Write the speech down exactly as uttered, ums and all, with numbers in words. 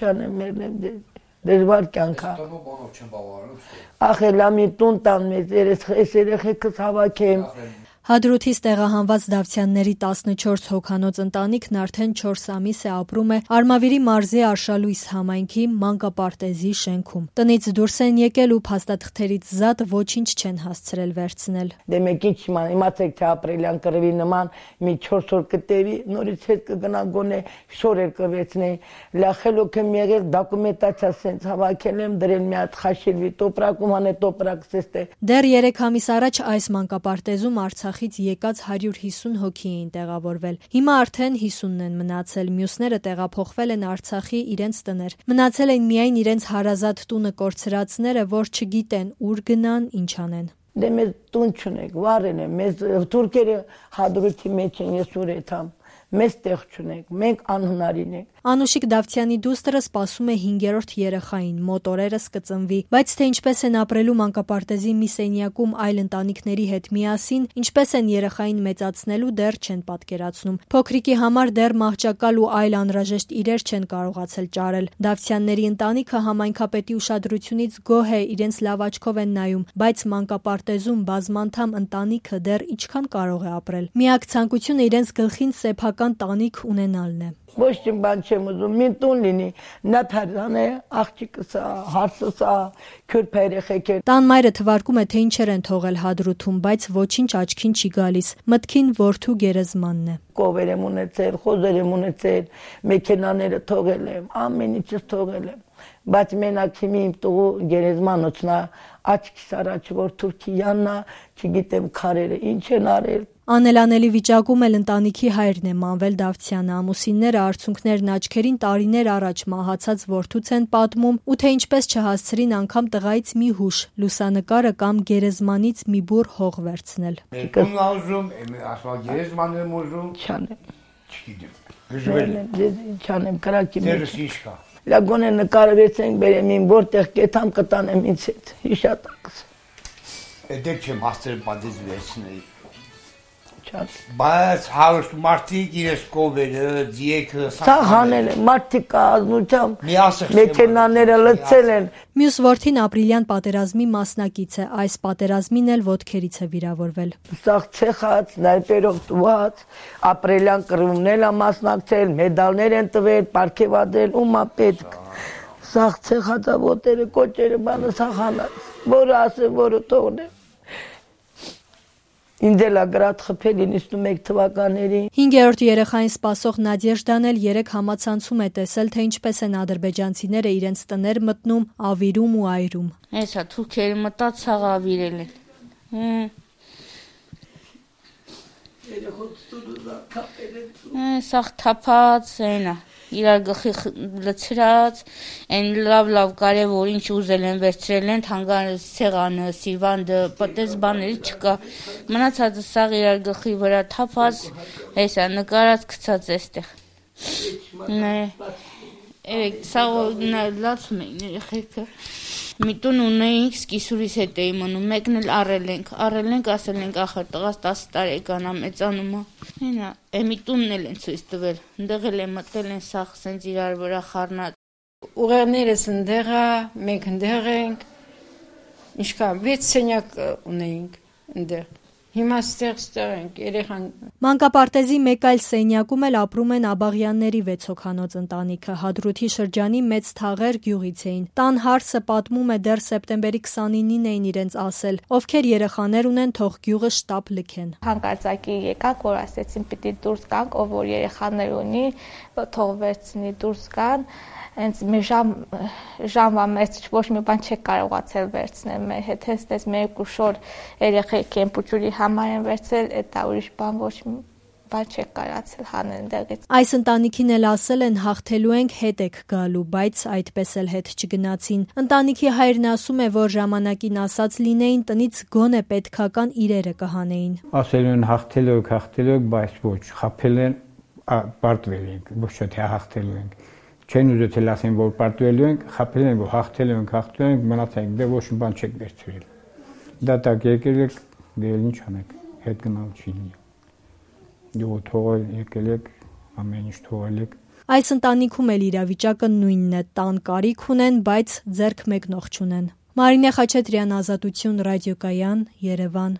չանեմ, մերնեմ դժվար կյանք է։ Ախելա մի տուն տան մեզ, ես երեխեքս հավաքեմ։ Հադրութից տեղահանված Դավթյանների տասնչորս հոգանոց ընտանիքն արդեն չորս ամիս է ապրում է Արմավիրի մարզի Արշալույս համայնքի մանկապարտեզի շենքում։ Տնից դուրս են եկել ու փաստաթղթերից զատ ոչինչ չեն հասցրել վերցնել։ Դե մեկին չիման, իմացեք թե ապրելյան կռվի նման մի չորս օր կտևի, նորից հետ կգնա գոնե շորեր կվեցնեի, լախելոք եմ եղել, դոկումենտացիա սենց հավաքել եմ, դրել մի հատ խաշիլվի տոպրակում, անե տոպրակ սեստե։ Դեռ երեք ամիս առաջ այս մանկապարտեզում Արցախից եկած հարյուր հիսուն հոգի էին տեղավորվել։ Հիմա արդեն հիսունն են մնացել, մյուսները տեղափոխվել են Արցախի իրենց տներ։ Մնացել են միայն իրենց հարազատ տունը կորցրածները, որ չգիտեն ուր գնան, ինչ անեն։ Դե մեզ տուն չունենք, վառեն են, մեզ թուրքերը Հադրութի մեջ են, ես ուր եթամ, մեզ տեղ չունենք, մենք անհնարին ենք։ Անուշիկ Դավթյանի դուստրը սպասում է հինգերորդ երեխային, մոտ օրերս կծնվի, բայց թե ինչպես են ապրելու մանկապարտեզի մի սենյակում այլ ընտանիքների հետ միասին, ինչպես են երեխային մեծացնելու, դեռ չեն պատկերացնում։ Փոքրիկի համար դեռ մահճակալ ու այլ անհրաժեշտ իրեր չեն կարողացել ճարել։ Դավթյանների ընտանիքը համայնքապետի ուշադրությունից գոհ է, իրենց լավ աչքով են նայում, բայց մանկապարտեզում բազմանդամ ընտանիքը դեռ ինչքան կարող է ապրել։ Միակ ցանկությունը իրենց գլխին սեփական տանիք ունենալն է։ Ոչ մի բան չեմ ուզում, մի տուն լինի, նա փարզան է, աղջիկս է, հարսս է, քյուրփ երեխեք է։ Տան մայրը թվարկում է, թե ինչեր են թողել Հադրութում, բայց ոչինչ աչքին չի գալիս։ Մտքին որդու գերեզմանն է։ Կովեր եմ ունեցել, խոզեր եմ ունեցել, մեքենաները թողել եմ, ամեն ինչս թողել եմ։ Բայց մենակ հիմի իմ տղու գերեզմանոցն է, աչքիս առաջ որ Թուրքիյանն է, չգիտեմ քարերը ինչ են արել։ Անելանելի վիճակում էլ ընտանիքի հայրն է Մանվել Դավթյանը, ամուսինները արցունքներն աչքերին տարիներ առաջ մահացած որդուց են պատմում, ու թե ինչպես չհասցրին անգամ տղայից մի հուշ, լուսանկարը կամ գերեզմանից մի բուռ հող վերցնել։ Ում ուզում, ասալ գերեզման եմ ուզում, չանեմ։ Չգիտեմ։ Չանեմ, կրակի մեջ։ Դերս ինչ կա։ Լագոնե նկարը վերցենք բերեմ իմ որտեղ կետամ կտանեմ ինձ հետ, հիշատակս։ Էդեք չեմ հասցրել պատից վերցնել։ Չած։ Բայց հարուստ մարդիկ իրես կովերը, ձիեքը, սաղ հանել են, մարդիկ ազնությամբ, մեքենաները լցել են։ Մյուս որդին ապրիլյան պատերազմի մասնակից է, այս պատերազմին էլ ոտքերից է վիրավորվել։ Սաղ ցեխած, նայպերով տված, ապրիլյան կռվումն է մասնակցել, մեդալներ են տվել, պարգևատրել, ումա պետք։ Սաղ ցեխածա ոտերը, կոճերը, բանը սաղ հանած, որը ասեմ, որը թողնեմ։ Ինդելա գրատ խփել իննսունմեկ թվականների։ Հինգերորդ երեխային սպասող Նադեժդան էլ երեք համացանցում է տեսել, թե ինչպես են ադրբեջանցիները իրենց տներ մտնում, ավիրում ու այրում։ Հեսա թուրքերը մտած սաղ ավիրել են։ Սաղ թափած այնա, իրար գլխի լցրած, այն լավ-լավ կարևոր ինչ ուզել են վերցրել են, թանգարանը, սեղանը, սիվանդը, պատես բաների չկա։ Մնացածը սաղ իրար գլխի վրա թափած, հեսա նկարած գցած էստեղ։ Երեք սաղ լացում էին երեխեքը։ Մի տուն ունեինք, սկիսուրիս հետ էի մնում, մեկն էլ առել ենք, առել ենք, ասել ենք ախր տղաս տասը տարեկան է մեծանում է։ Հենա, է մի տունն էլ են ցույց տվել, ընդեղ էլ են մտել են սաղ սենց իրար վրա խառնած։ Ուղեղներս ընդեղ է, մենք ընդեղ ենք, ինչքան վեց սենյակ ունեինք ընդեղ։ Հիմա ստեղ-ստեղ ենք, երեխան։ Մանկապարտեզի մեկ այլ սենյակում էլ ապրում են Աբաղյանների վեց հոգանոց ընտանիքը, Հադրութի շրջանի Մեծ Թաղեր գյուղից էին։ Տան հարսը պատմում է դեռ սեպտեմբերի քսանինին էին իրենց ասել, ովքեր երեխաներ ունեն, թող գյուղը շտապ լքեն։ Հանկարծակի եկանք, որ ասեցին պիտի դուրս գանք, ով որ երեխաներ ունի, թող վերցնի դուրս գան։ Հենց մի ժամ ժամվա մեջ ոչ մի բան չեք կարողացել վերցնել մեր հետ, հենց մեր երկու շոր երեխեք են փուչուրի համար են վերցել, դա ուրիշ բան ոչ մի բան չեք կարողացել հանել դեղից։ Այս ընտանիքին էլ ասել են հաղթելու ենք, հետ եք գալու, բայց այդպես էլ հետ չգնացին։ Ընտանիքի հայրն ասում է, որ ժամանակին ասած լինեին, տնից գոնե պետքական իրերը կհանեին։ Ասել են հաղթելու եք, հաղթելու եք, բայց ոչ, խաբել են, պարտվել ենք, ոչ թե հաղթելու ենք։ Չեն ուզեցել ասեն, որ պարտվելու ենք, խաբել են, որ հաղթելու ենք, հաղթելու ենք, մնացել ենք, դե ոչ մի բան չեք վերցրել։ Դատակ եկել եք, դե ինչ անեք, հետ գնալ չի լինի։ Դու թողել եկել եք, ամեն ինչ թողել եք։ Այս ընտանիքում էլ իրավիճակը նույնն է, տան կարիք ունեն, բայց ձեռք մեկնող չունեն։ Մարինե Խաչատրյան, Ազատություն ռադիոկայան, Երևան։